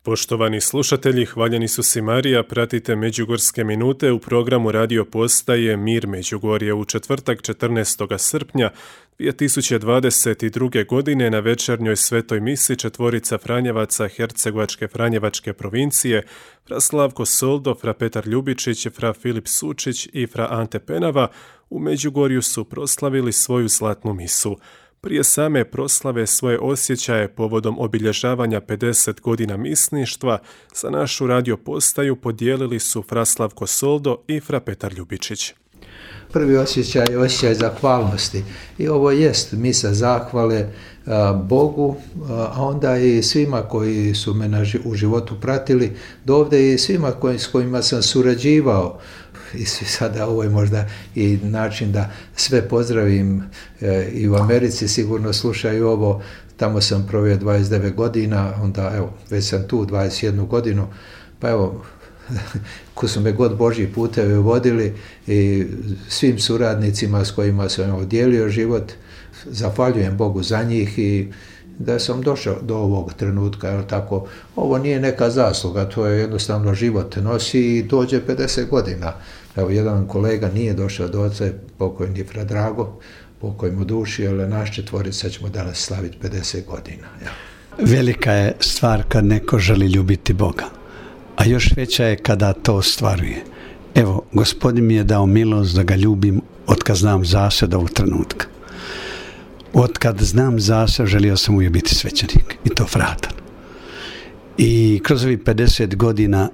Poštovani slušatelji, hvaljeni su si Marija, pratite Međugorske minute u programu radio postaje Mir Međugorje u četvrtak 14. srpnja 2022. godine na večernjoj svetoj misi četvorica Franjevaca Hercegovačke Franjevačke provincije, fra Slavko Soldo, fra Petar Ljubičić, fra Filip Sučić i fra Ante Penava u Međugorju su proslavili svoju zlatnu misu. Prije same proslave svoje osjećaje povodom obilježavanja 50 godina misništva za našu radio postaju podijelili su fra Slavko Soldo i fra Petar Ljubičić. Prvi osjećaj je osjećaj zahvalnosti i ovo jest misa zahvale Bogu, a onda i svima koji su me u životu pratili, do ovdje i svima s kojima sam surađivao. I sada ovo je možda i način da sve pozdravim i u Americi sigurno slušaju ovo. Tamo sam proveo 29 godina, onda evo, već sam tu 21 godinu, pa evo, ko su me god Božji putevi vodili i svim suradnicima s kojima sam dijelio život, zahvaljujem Bogu za njih i da sam došao do ovog trenutka, jer tako, ovo nije neka zasluga, to je jednostavno život nosi i dođe 50 godina. Evo, jedan kolega nije došao do oca, pokojni fra Drago, pokoj mu duši, ali naš četvorica ćemo danas slaviti 50 godina. Ja. Velika je stvar kad neko želi ljubiti Boga, a još veća je kada to ostvaruje. Evo, Gospodin mi je dao milost da ga ljubim otkad znam za sebe ovog trenutka. Otkad znam za sebe želio sam uvijek biti svećenik i to fratar. I kroz ovih 50 godina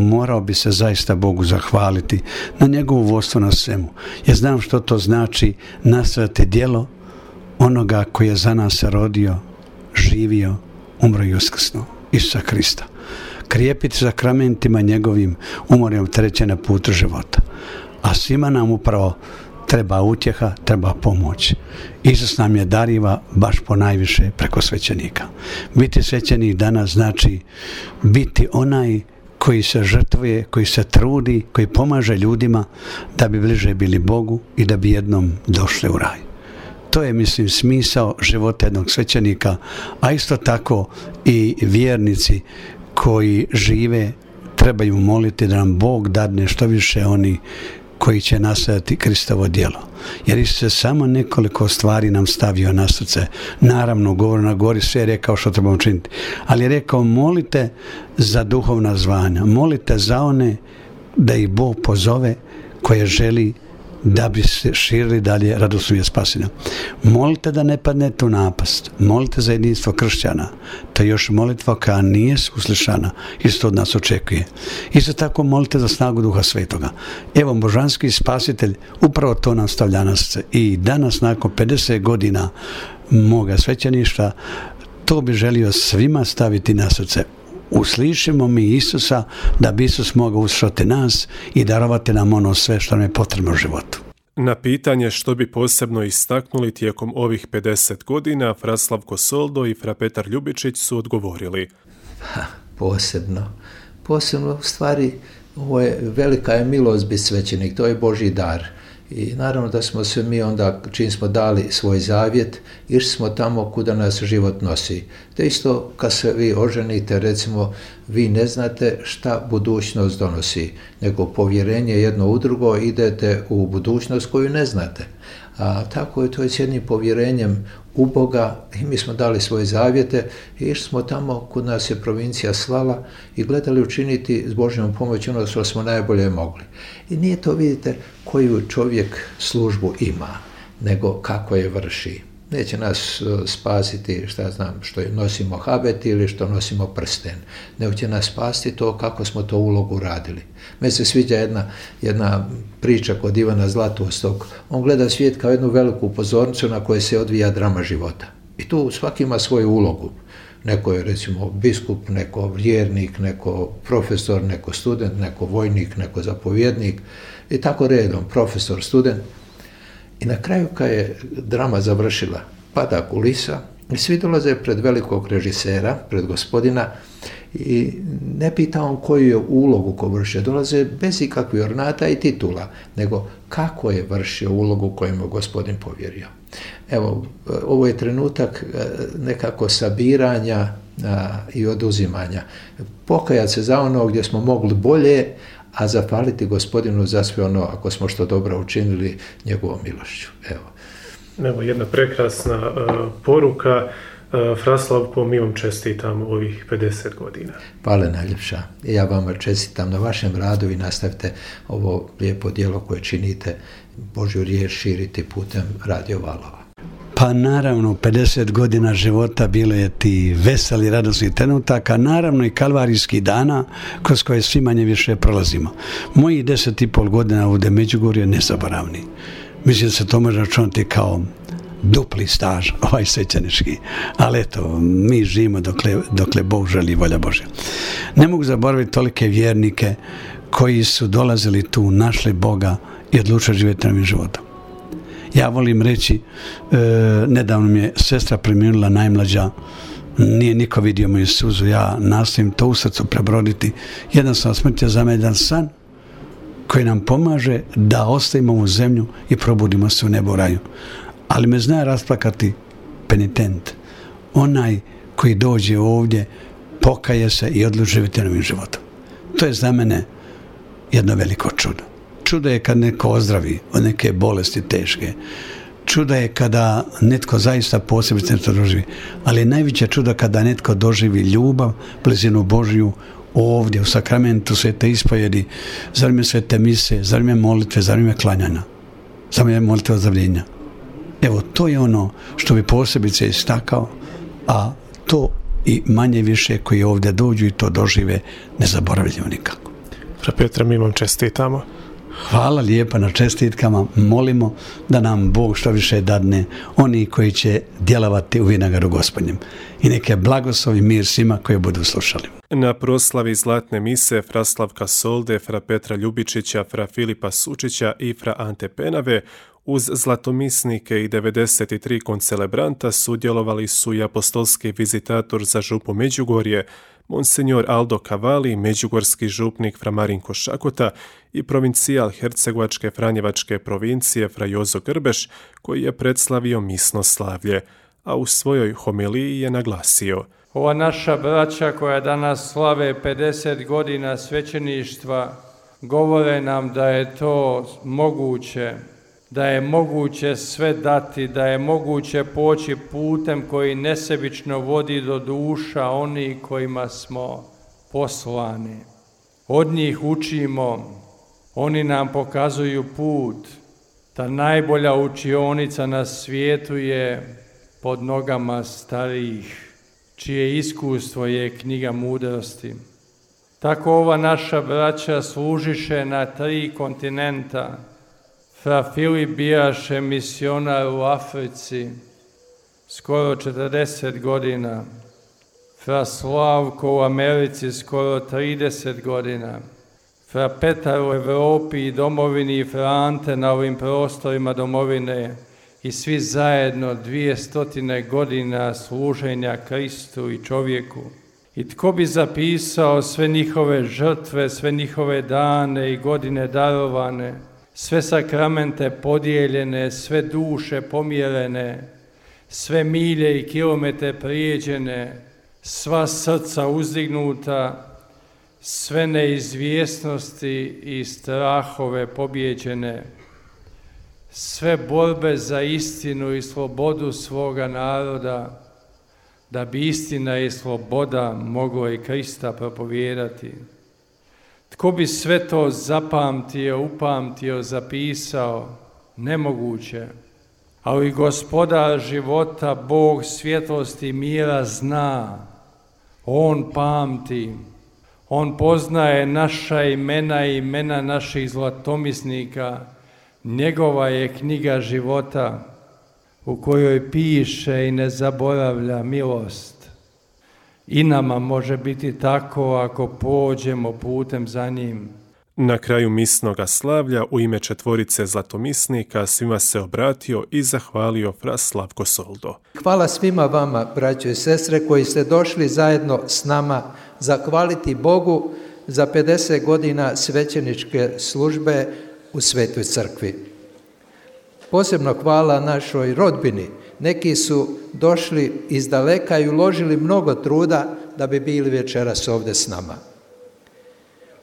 morao bi se zaista Bogu zahvaliti na njegovo vodstvo na svemu. Ja znam što to znači nastaviti djelo onoga koji je za nas se rodio, živio, umro i uskrsnuo, Isusa Krista. Krijepiti sakramentima njegovim umorem treće na putu života. A svima nam upravo treba utjeha, treba pomoć. Isus nam je dariva baš po najviše preko svećenika. Biti svećenik danas znači biti onaj koji se žrtvuje, koji se trudi, koji pomaže ljudima da bi bliže bili Bogu i da bi jednom došli u raj. To je, mislim, smisao života jednog svećenika, a isto tako i vjernici koji žive trebaju moliti da nam Bog dadne što više oni koji će nastaviti Kristovo djelo. Jer Isus je samo nekoliko stvari nam stavio na srce. Naravno, govor na gori sve je rekao što trebamo činiti. Ali je rekao, molite za duhovna zvanja. Molite za one da ih Bog pozove koje želi da bi se širili dalje radosnu vijest spasenja. Molite da ne padnete u napast. Molite za jedinstvo kršćana. To je još molitva koja nije uslišana. Isto od nas očekuje. Isto tako molite za snagu Duha Svetoga. Evo, božanski spasitelj upravo to nam stavlja na srce. I danas, nakon 50 godina moga svećeništva, to bi želio svima staviti na srce. Uslišimo mi Isusa da bi Isus mogao uslišati nas i darovati nam ono sve što nam je potrebno u životu. Na pitanje što bi posebno istaknuli tijekom ovih 50 godina, fra Slavko Soldo i fra Petar Ljubičić su odgovorili. Posebno u stvari ovo je velika je milost biti svećenik, to je Božji dar. I naravno da smo se mi onda, čim smo dali svoj zavjet, išli smo tamo kuda nas život nosi. Te isto kad se vi oženite, recimo, vi ne znate šta budućnost donosi, nego povjerenje jedno u drugo idete u budućnost koju ne znate. A tako je to s jednim povjerenjem u Boga i mi smo dali svoje zavjete i išli smo tamo kud nas je provincija slala i gledali učiniti s Božjom pomoći ono što smo najbolje mogli. I nije to, vidite, koju čovjek službu ima, nego kako je vrši. Neće nas spasiti, što nosimo habet ili što nosimo prsten, nego će nas spasiti to kako smo to ulogu radili. Meni se sviđa jedna priča kod Ivana Zlatoustog. On gleda svijet kao jednu veliku pozornicu na kojoj se odvija drama života. I tu svaki ima svoju ulogu. Neko je, recimo, biskup, neko vjernik, neko profesor, neko student, neko vojnik, neko zapovjednik i tako redom, profesor, student. I na kraju kad je drama završila, pada kulisa i svi dolaze pred velikog režisera, pred Gospodina i ne pita on koju je ulogu ko vršio, dolaze bez ikakvih ornata i titula, nego kako je vršio ulogu koju mu Gospodin povjerio. Evo, ovo je trenutak nekako sabiranja i oduzimanja. Pokajati se za ono gdje smo mogli bolje, a zahvaliti Gospodinu za sve ono, ako smo što dobro učinili, njegovom milošću. Evo jedna prekrasna poruka. Fra Slavko, mi vam čestitam ovih 50 godina. Hvala najljepša. Ja vama čestitam na vašem radu i nastavite ovo lijepo djelo koje činite, Božju riječ širiti putem Radio Valova. Pa naravno, 50 godina života bilo je ti veseli, radosni trenutaka, naravno i kalvarijskih dana kroz koje svi manje više prolazimo. Mojih 10,5 godina ovdje Međugorju je nezaboravni. Mislim da se to može računati kao dupli staž, ovaj svećenički. Ali eto, mi živimo dokle Bog želi i volja Božja. Ne mogu zaboraviti tolike vjernike koji su dolazili tu, našli Boga i odlučili živjeti novim životom. Ja volim reći, nedavno mi je sestra preminula najmlađa, nije niko vidio moju suzu, ja nastojim to u srcu prebroditi. Jednostavno smrt je za mene jedan san koji nam pomaže da ostavimo ovu zemlju i probudimo se u nebu raju. Ali me zna rasplakati penitent, onaj koji dođe ovdje, pokaje se i odluči živjeti novim životom. To je za mene jedno veliko čudo. Čudo je kad neko ozdravi od neke bolesti teške. Čudo je kada netko zaista posebice nešto doživi. Ali najveće čudo kada netko doživi ljubav, blizinu Božju ovdje u sakramentu svete ispovjedi, za vrijeme svete mise, za vrijeme molitve, za vrijeme klanjanja, za vrijeme molitve ozdravljenja. Evo, to je ono što bi posebice istakao, a to i manje više koji ovdje dođu i to dožive ne zaboravljaju nikako. Fra Petre, mi vam čestitamo. Hvala lijepa na čestitkama, molimo da nam Bog što više dadne oni koji će djelovati u vinagaru Gospodnjem. I neke blagoslov i mir svima koji budu slušali. Na proslavi zlatne mise fra Slavka Solde, fra Petra Ljubičića, fra Filipa Sučića i fra Ante Penave uz zlatomisnike i 93 koncelebranta sudjelovali su i apostolski vizitator za župu Međugorje, Monsignor Aldo Cavalli, međugorski župnik fra Marinko Šakota i provincijal Hercegovačke Franjevačke provincije fra Jozo Grbeš, koji je predslavio misno slavlje, a u svojoj homiliji je naglasio: ova naša braća koja danas slave 50 godina svećeništva govore nam da je to moguće, da je moguće sve dati, da je moguće poći putem koji nesebično vodi do duša onih kojima smo poslani. Od njih učimo, oni nam pokazuju put. Ta najbolja učionica na svijetu je pod nogama starijih, čije iskustvo je knjiga mudrosti. Tako ova naša braća služiše na 3 kontinenta. Fra Filip bijaše misionar u Africi skoro 40 godina, fra Slavko u Americi skoro 30 godina, fra Petar u Evropi i domovini i fra Ante na ovim prostorima domovine i svi zajedno 200 godina služenja Kristu i čovjeku. I tko bi zapisao sve njihove žrtve, sve njihove dane i godine darovane, sve sakramente podijeljene, sve duše pomjerene, sve milje i kilometre prijeđene, sva srca uzdignuta, sve neizvjesnosti i strahove pobjeđene, sve borbe za istinu i slobodu svoga naroda, da bi istina i sloboda moglo i Krista propovijedati. Tko bi sve to zapamtio, upamtio, zapisao? Nemoguće. Ali Gospodar života, Bog svjetlosti i mira zna. On pamti. On poznaje naša imena i imena naših zlatomisnika. Njegova je knjiga života u kojoj piše i ne zaboravlja milost. I nama može biti tako ako pođemo putem za njim. Na kraju misnoga slavlja u ime 4 zlatomisnika svima se obratio i zahvalio fra Slavko Soldo. Hvala svima vama, braćo i sestre, koji ste došli zajedno s nama zahvaliti Bogu za 50 godina svećeničke službe u Svetoj crkvi. Posebno hvala našoj rodbini Neki su došli iz daleka i uložili mnogo truda da bi bili večeras ovdje s nama.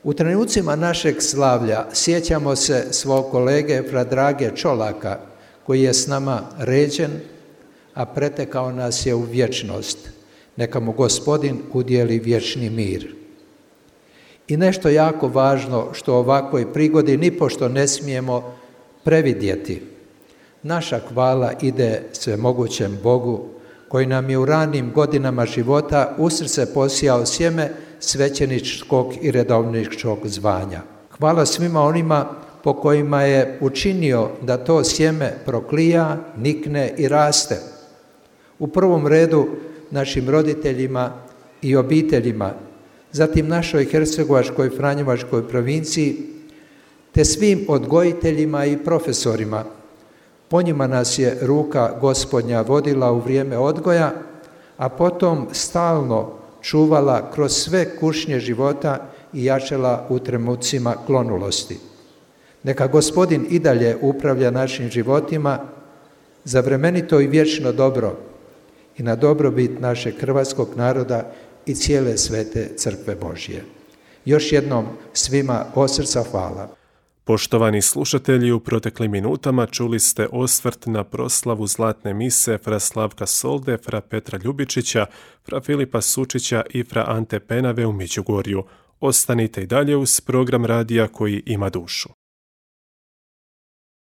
U trenucima našeg slavlja sjećamo se svog kolege fra Drage Čolaka, koji je s nama ređen, a pretekao nas je u vječnost. Neka mu Gospodin udijeli vječni mir. I nešto jako važno što u ovakvoj prigodi nipošto ne smijemo previdjeti. Naša hvala ide svemogućem Bogu, koji nam je u ranim godinama života u srce posijao sjeme svećeničkog i redovničkog zvanja. Hvala svima onima po kojima je učinio da to sjeme proklija, nikne i raste. U prvom redu našim roditeljima i obiteljima, zatim našoj Hercegovačkoj Franjevačkoj provinciji, te svim odgojiteljima i profesorima. Po njima nas je ruka Gospodnja vodila u vrijeme odgoja, a potom stalno čuvala kroz sve kušnje života i jačala u trenucima klonulosti. Neka Gospodin i dalje upravlja našim životima za vremenito i vječno dobro i na dobrobit našeg hrvatskog naroda i cijele svete crkve Božje. Još jednom svima od srca hvala. Poštovani slušatelji, u proteklim minutama čuli ste osvrt na proslavu zlatne mise fra Slavka Solde, fra Petra Ljubičića, fra Filipa Sučića i fra Ante Penave u Međugorju. Ostanite i dalje uz program radija koji ima dušu.